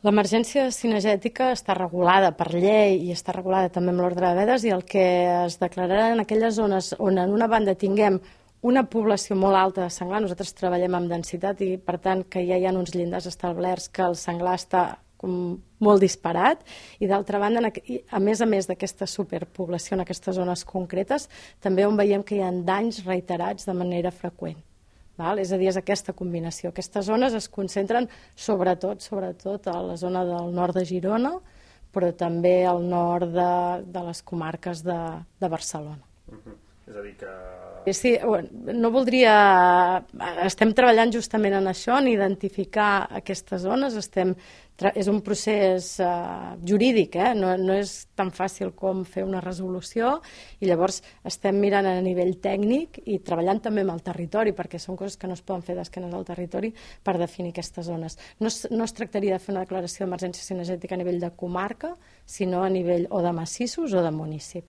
L'emergència cinegètica està regulada per llei i està regulada també amb l'ordre de vedes, i el que es declararà en aquelles zones on en una banda tinguem una població molt alta de senglar, nosaltres treballem amb densitat i per tant que ja hi ha uns llindars establerts que el senglar està molt disparat, i d'altra banda, a més d'aquesta superpoblació en aquestes zones concretes, també on veiem que hi ha danys reiterats de manera freqüent. És a dir, és aquesta combinació. Aquestes zones es concentren sobretot a la zona del nord de Girona, però també al nord de les comarques de Barcelona. És a dir que... Sí, no voldria... Estem treballant justament en això, en identificar aquestes zones. És un procés jurídic, no és tan fàcil com fer una resolució, i llavors estem mirant a nivell tècnic i treballant també amb el territori, perquè són coses que no es poden fer d'esquenes al territori per definir aquestes zones. No es tractaria de fer una declaració d'emergència cinegètica a nivell de comarca, sinó a nivell o de massissos o de municipi.